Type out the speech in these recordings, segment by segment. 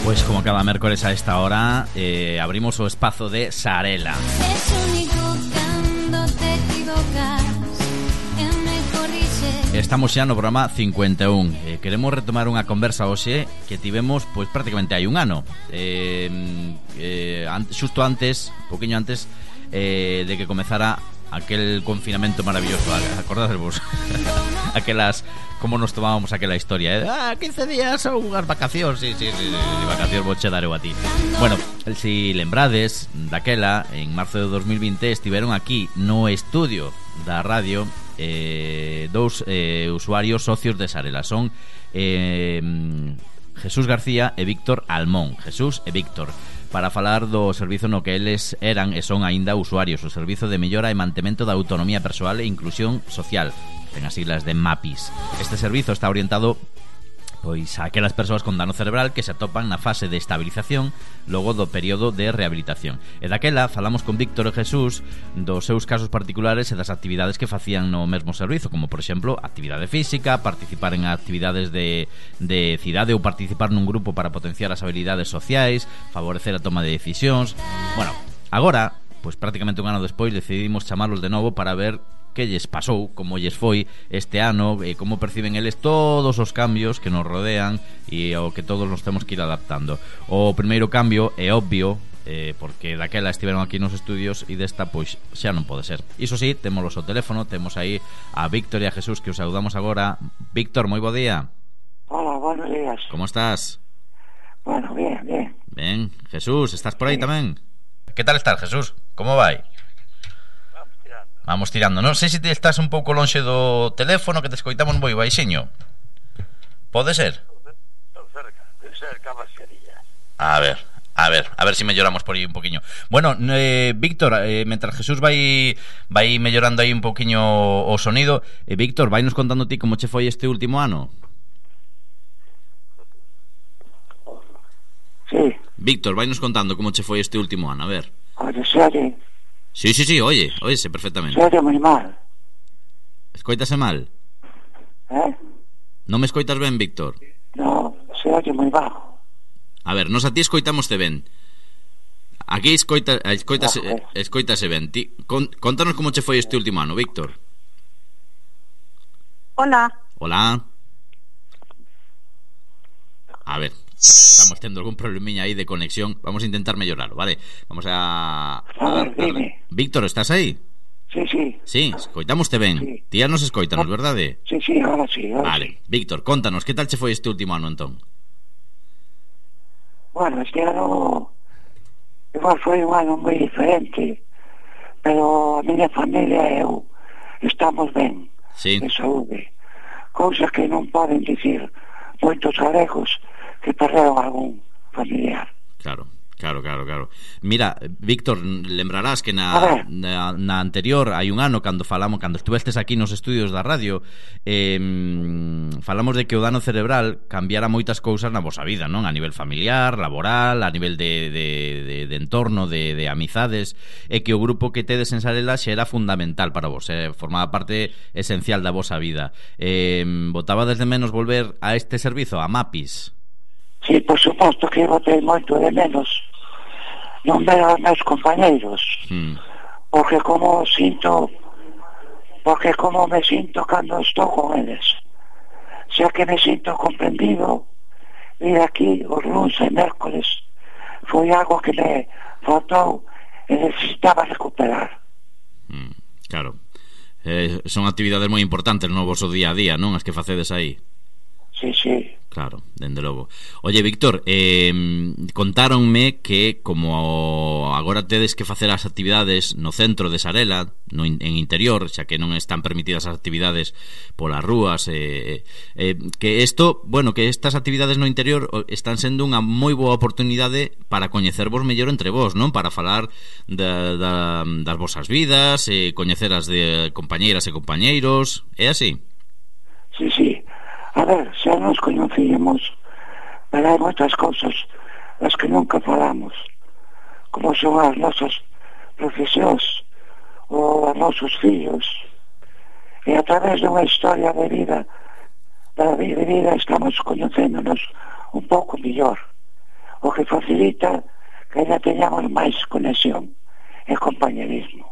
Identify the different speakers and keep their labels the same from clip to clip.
Speaker 1: Pois como cada mércores a esta hora abrimos o espazo de Sarela. Estamos xa no programa 51. Queremos retomar unha conversa hoxe que tivemos pois prácticamente hai un ano. Xusto antes, poquinho antes de que comezara aquel confinamento maravilloso. Acordadevos aquelas, como nos tomábamos aquela historia, 15 días ou unhas vacacións. Sí, vacacións vou che dar eu a ti. Bueno, si lembrades daquela, en marzo de 2020 estiveron aquí no estudio da radio dous usuarios socios de Sarela. Son Jesús García e Víctor Almón. Jesús e Víctor, para falar do servizo no que eles eran e son aínda usuarios, o Servizo de Mellora e Mantemento da Autonomía Persoal e Inclusión Social, ten as siglas de MAPIS. Este servizo está orientado pois a aquelas persoas con dano cerebral que se atopan na fase de estabilización logo do período de rehabilitación. E daquela falamos con Víctor e Jesús dos seus casos particulares e das actividades que facían no mesmo servizo, como por exemplo actividade física, participar en actividades de cidade ou participar nun grupo para potenciar as habilidades sociais, favorecer a toma de decisións. Bueno, agora, pois prácticamente un ano despois decidimos chamarlos de novo para ver que lles pasou, como lles foi este ano, e como perciben eles todos os cambios que nos rodean e ao que todos nos temos que ir adaptando. O primeiro cambio é obvio, porque daquela estiveron aquí nos estudios e desta pois xa non pode ser. Iso sí, temos o teléfono, temos aí a Víctor e a Jesús, que os saludamos agora. Víctor, moi bo día.
Speaker 2: Hola, buenos días.
Speaker 1: Como estás?
Speaker 2: Bueno, bien.
Speaker 1: Ben, Jesús, estás por aí tamén? Que tal estás, Jesús? Como vai? Vamos tirando. Non sei se te estás un pouco lonxe do teléfono, que te escoitamos moi baixiño. Pode ser?
Speaker 2: Estou cerca baixaría.
Speaker 1: A ver se melloramos por aí un poquinho. Bueno, Víctor, mentras Jesús vai mellorando aí un poquinho o sonido, Víctor, vai nos contando ti como che foi este último ano.
Speaker 2: Sí.
Speaker 1: Víctor, vai nos contando como che foi este último ano, a ver.
Speaker 2: Oye, serie.
Speaker 1: Sí, óyese perfectamente.
Speaker 2: Se oye moi mal.
Speaker 1: Escoítase mal? Non me escoitas ben, Víctor?
Speaker 2: No, se oye moi bajo.
Speaker 1: A ver, nos a ti escoitamoste ben. Aquí escoitase ben. Contanos como che foi este último ano, Víctor.
Speaker 3: Hola.
Speaker 1: A ver, estamos tendo algún problemiña aí de conexión. Vamos a intentar mellorarlo, vale? Vamos a
Speaker 2: ver, dime.
Speaker 1: Víctor, estás aí?
Speaker 2: Sí.
Speaker 1: Sí, escoitamoste ben.
Speaker 2: Sí.
Speaker 1: Ti nos escoitanos, verdade?
Speaker 2: Sí, ahora sí.
Speaker 1: Vale, Víctor, contanos, que tal che foi este último ano, entón?
Speaker 2: Bueno, este ano igual foi un ano moi diferente, pero a miña familia e eu estamos ben,
Speaker 1: sí,
Speaker 2: de saúde, cousas que non poden dicir moitos galegos que perderon algún familiar.
Speaker 1: Claro. Mira, Víctor, lembrarás que na anterior, hai un ano, cando estuvestes aquí nos estudios da radio, falamos de que o dano cerebral cambiara moitas cousas na vosa vida, non? A nivel familiar, laboral, a nivel de entorno, de amizades, e que o grupo que tedes en Sarela xa era fundamental para vos, formaba parte esencial da vosa vida. Botaba desde menos volver a este servizo, a MAPIS?
Speaker 2: Sí, por suposto que botei moito de menos non ver aos meus compañeiros, porque como me sinto cando estou con eles, xa que me sinto comprendido. Ir aquí os luns e mércoles foi algo que me faltou e necesitaba recuperar.
Speaker 1: Claro, son actividades moi importantes no vosso día a día, non? As que facedes aí.
Speaker 2: Sí.
Speaker 1: Claro, dende logo. Oye, Víctor, contáronme que como agora tedes que facer as actividades no centro de Sarela, en interior, xa que non están permitidas as actividades polas rúas, que estas actividades no interior están sendo unha moi boa oportunidade para coñecervos mellor entre vos, non? Para falar das vosas vidas, coñecer as de compañeiras e compañeiros, é así?
Speaker 2: Sí. A ver, xa nos coñecíamos, pero hai moitas cousas das que nunca falamos, como son as nosas profesións ou os nosos fillos, e a través dunha historia de vida estamos coñecéndonos un pouco mellor. o que facilita que ainda teñamos máis conexión e compañerismo.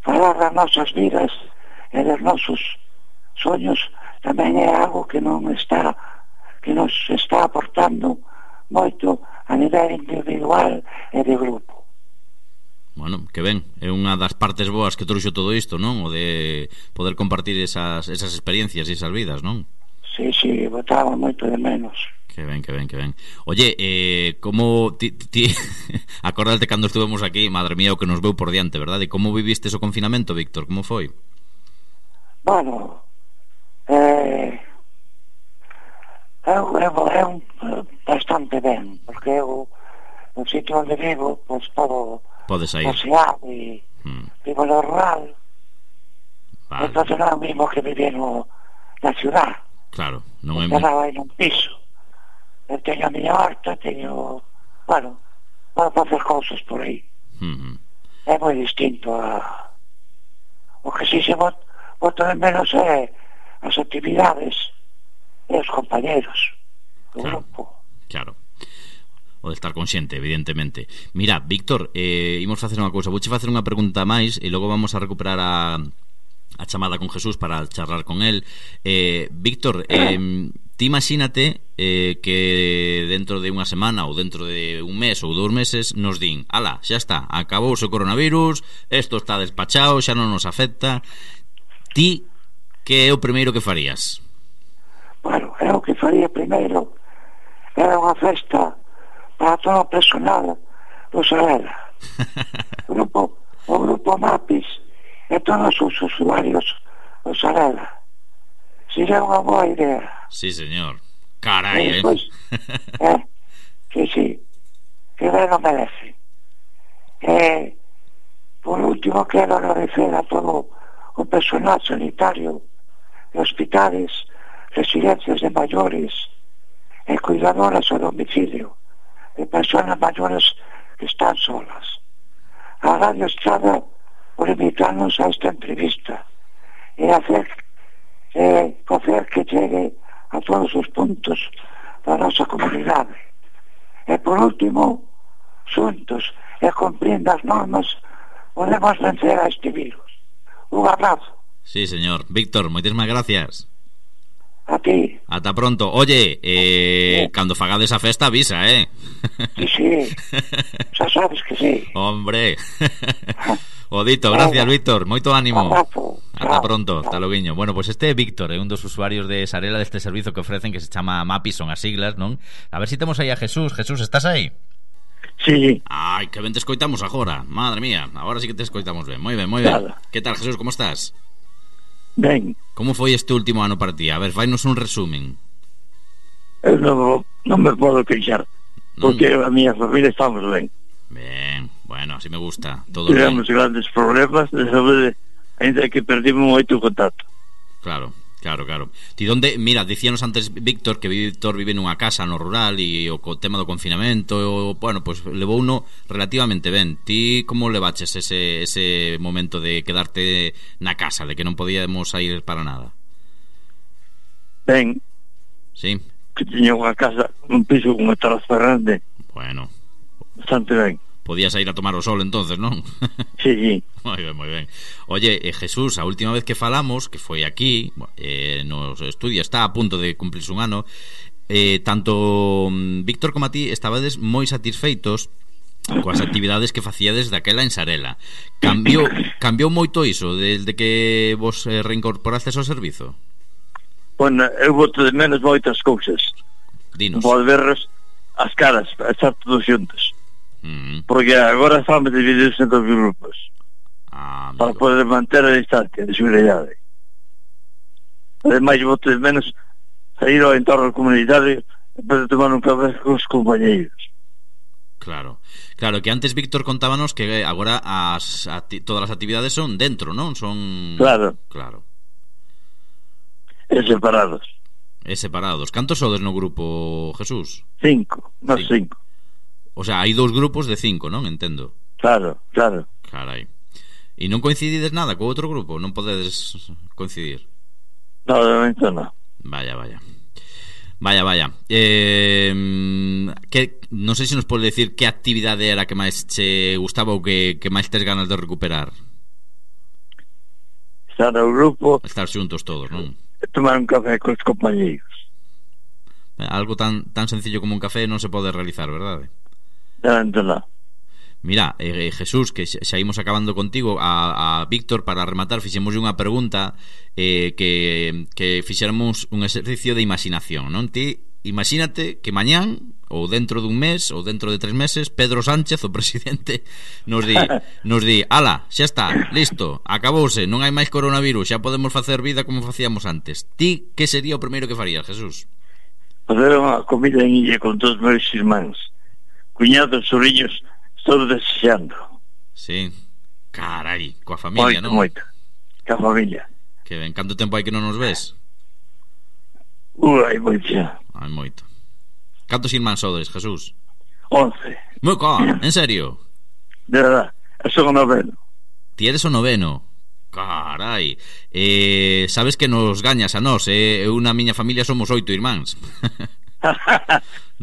Speaker 2: Falar das nosas vidas e dos nosos soños tamén é algo que nos está aportando moito a nivel individual e de grupo.
Speaker 1: Bueno, que ben, é unha das partes boas que trouxo todo isto, non? O de poder compartir esas experiencias e esas vidas, non?
Speaker 2: Sí, botaba moito de menos.
Speaker 1: Que ben. Oye, como ti acórdate cando estuvemos aquí, madre mía, o que nos veu por diante, verdade? Como viviste o confinamento, Víctor? Como foi?
Speaker 2: Bueno, eu bastante ben, porque eu no sitio onde vivo, pois todo
Speaker 1: pode sair
Speaker 2: paseado e vivo no rural.
Speaker 1: Vale.
Speaker 2: Entonces non é o mismo que vivir na ciudad.
Speaker 1: Claro, non é
Speaker 2: mesmo aí nun piso. Eu teño a miña horta, bueno, podo facer cousas por aí. É moi distinto o que si se boto de menos é as actividades e os compañeros do grupo.
Speaker 1: Claro. O de estar consciente, evidentemente. Mira, Víctor, imos facer unha cousa. Vouche facer unha pregunta máis e logo vamos a recuperar a chamada con Jesús para charlar con él. Víctor, ti imagínate que dentro de unha semana ou dentro de un mes ou 2 meses nos din, ala, xa está, acabouse o coronavirus, isto está despachado, xa non nos afecta. Ti, que é o primeiro que farías?
Speaker 2: Bueno, eu que faría primeiro era unha festa para todo o personal do Sarela. O grupo Mapis e todos os usuarios do Sarela. Sería unha boa idea.
Speaker 1: Sí, señor. Carai,
Speaker 2: después, sí, que ben o merece. Por último, quero agradecer a todo o personal sanitario de hospitales, residencias de maiores e cuidadoras ao domicilio de personas maiores que están solas. A Radio Estrada por invitarnos a esta entrevista e facer que chegue a todos os puntos da nosa comunidade. E por último, xuntos e cumprindo as normas, podemos vencer a este virus. Un abrazo.
Speaker 1: Sí, señor. Víctor, moitísimas gracias.
Speaker 2: A ti.
Speaker 1: Ata pronto. Oye, cando fagades a festa avisa,
Speaker 2: Sí, xa sabes que sí.
Speaker 1: Hombre. Odito, gracias, Víctor, moito ánimo. Ata pronto, hasta loguiño. Bueno, pues este é Víctor, é un dos usuarios de Sarela, deste servizo que ofrecen, que se chama Mapis, son as siglas, non? A ver si temos aí a Jesús. Jesús, estás aí?
Speaker 2: Sí.
Speaker 1: Ai, que ben te escoitamos agora. Madre mía, agora sí que te escoitamos ben. Moi ben. Que tal, Jesús, como estás?
Speaker 2: Ben.
Speaker 1: Como foi este último ano para ti? A ver, fainos un resumen.
Speaker 2: Eu non me podo queixar, porque a miña familia estamos ben.
Speaker 1: Ben, bueno, así me gusta. Todo
Speaker 2: tivemos
Speaker 1: ben.
Speaker 2: Grandes problemas de saúde, ainda que perdimos moito contacto.
Speaker 1: Claro. Ti donde, mira, dicíanos antes Víctor que Víctor vive nunha casa no rural e o tema do confinamento, bueno, pues levou uno relativamente ben. Ti como levaches ese momento de quedarte na casa, de que non podíamos sair para nada?
Speaker 2: Ben.
Speaker 1: Sí.
Speaker 2: Que tiña unha casa, un piso con unha terraza grande.
Speaker 1: Bueno.
Speaker 2: Bastante ben.
Speaker 1: Podías ir a tomar o sol entonces, non?
Speaker 2: Sí.
Speaker 1: Moi ben. Oye, Jesús, a última vez que falamos, que foi aquí, nos estudios, está a punto de cumplirse un ano, tanto Víctor como a ti estabades moi satisfeitos coas actividades que facíades daquela en Sarela. Cambiou moito iso desde que vos reincorporastes ao servizo?
Speaker 2: Bueno, eu boto de menos moitas cousas.
Speaker 1: Dinos.
Speaker 2: Volver as caras, a estar todos xuntos. Porque agora estamos divididos en 2 grupos para poder manter a distancia de seguridade. Ademais, boto de menos sair ao entorno comunitario e poder tomar un café con os compañeiros.
Speaker 1: Claro, que antes Víctor contábanos que agora todas as actividades son dentro, non? Son...
Speaker 2: Claro. E separados. Cantos sodes no grupo, Jesús? 5, nós 5.
Speaker 1: O sea, hai 2 grupos de 5, non? Entendo.
Speaker 2: Claro.
Speaker 1: Carai. E non coincidides nada co outro grupo? Non podedes coincidir?
Speaker 2: No, de momento non.
Speaker 1: Vaya. Vaya. Non sei se nos pode decir que actividade era que máis che gustaba ou que máis tes ganas de recuperar.
Speaker 2: Estar no grupo,
Speaker 1: Estar xuntos todos, non?
Speaker 2: tomar un café cos compañeiros.
Speaker 1: Algo tan sencillo como un café non se pode realizar, verdade?
Speaker 2: Non.
Speaker 1: Mira, Jesús, que xa imos acabando contigo, a Víctor, para rematar, fixemos unha pregunta, que fixéramos un exercicio de imaginación, non? Ti, imagínate que mañán, ou dentro dun mes, ou dentro de 3 meses, Pedro Sánchez, o presidente, nos di, ala, xa está, listo, acabouse, non hai máis coronavirus, xa podemos facer vida como facíamos antes. Ti, que sería o primeiro que farías, Jesús?
Speaker 2: Facer unha comida en illa con todos os meus irmáns, cuñados, sobrinhos, estou desexando.
Speaker 1: Sí, carai, coa familia, non?
Speaker 2: Moito, coa familia.
Speaker 1: Que ben, canto tempo hai que non nos ves?
Speaker 2: Hai moito xa.
Speaker 1: Hai moito. Cantos irmáns sodes, Jesús?
Speaker 2: 11.
Speaker 1: En serio?
Speaker 2: De verdad, son o noveno.
Speaker 1: Ti eres o noveno? Carai. Sabes que nos gañas a nós, eu na miña familia somos 8 irmáns.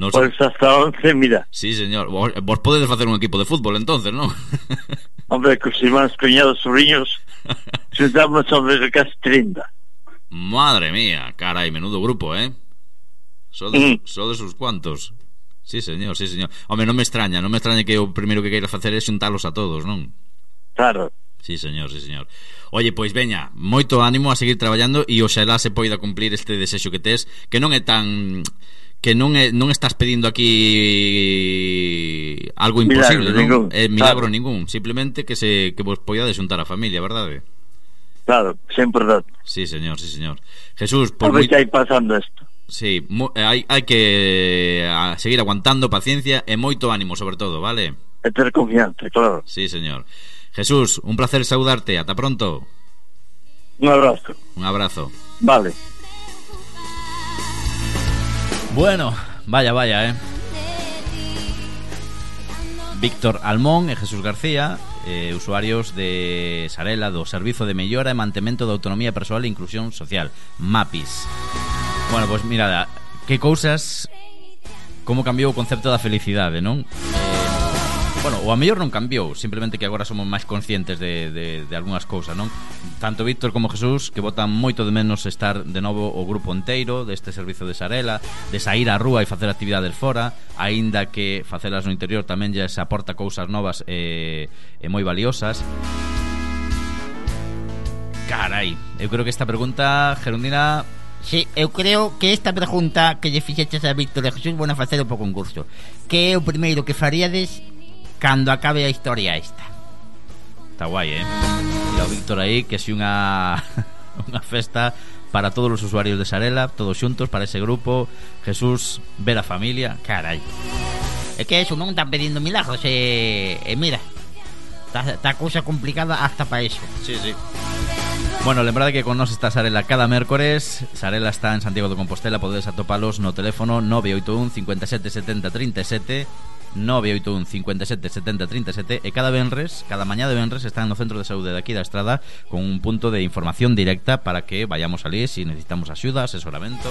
Speaker 2: Pois hasta 11, mira.
Speaker 1: Sí, señor. Vos podedes facer un equipo de fútbol entonces, non?
Speaker 2: Hombre, cos irmáns, cuñados, sobrinhos, xuntamos sobre casi 30.
Speaker 1: Madre mía, carai, menudo grupo, sodes uns cuantos. Sí, señor. Home, non me extraña que o primeiro que queira facer é xuntalos a todos, non?
Speaker 2: Claro.
Speaker 1: Sí, señor. Oye, pois veña, moito ánimo a seguir traballando e oxalá se poida cumplir este desexo que tes, que non é tan... que non estás pedindo aquí algo imposible, non? Milagro ningún, simplemente que vos poidades xuntar a familia, verdade?
Speaker 2: Claro, sempre verdade.
Speaker 1: Sí, señor. Jesús,
Speaker 2: por que hai pasando isto.
Speaker 1: Sí, hai que seguir aguantando, paciencia e moito ánimo, sobre todo, vale?
Speaker 2: E ter confianza, claro.
Speaker 1: Sí, señor. Jesús, un placer saudarte, ata pronto.
Speaker 2: Un abrazo.
Speaker 1: Vale. Bueno, vaya, Víctor Almón e Jesús García, usuarios de Sarela, do Servizo de Mellora e Mantemento da Autonomía Persoal e Inclusión Social, MAPIS. Bueno, pois mirada, que cousas, como cambiou o concepto da felicidade, non? Bueno, o a mellor non cambiou, simplemente que agora somos máis conscientes de algunhas cousas, non? Tanto Víctor como Jesús, que botan moito de menos estar de novo o grupo inteiro deste servizo de Sarela, de sair á rúa e facer actividades fora, aínda que facelas no interior tamén lles aporta cousas novas e moi valiosas. Carai, eu creo que esta pregunta, Gerundina...
Speaker 3: Sí, eu creo que esta pregunta que lle fixeches a Víctor e Jesús van a facer po concurso. Que é o primeiro que faríades cando acabe a historia esta?
Speaker 1: Está guai, E o Víctor aí, que si unha festa para todos os usuarios de Sarela, todos xuntos para ese grupo. Jesús, ver a familia, carai.
Speaker 3: É que eso non están pedindo milagros, mira, está cousa complicada hasta para eso.
Speaker 1: Sí. Bueno, lembrade que con nos está Sarela cada mércores. Sarela está en Santiago de Compostela. Podedes atopalos no teléfono 981 57 70 37, 981 57 70 37, e cada mañá de venres están no centro de saúde de aquí da Estrada con un punto de información directa para que vayamos ali si necesitamos axuda, asesoramento.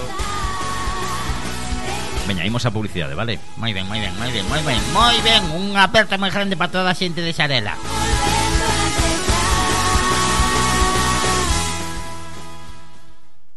Speaker 1: Veña, imos a publicidade, vale?
Speaker 3: Moi ben, unha aperta moi grande para toda a xente de Sarela.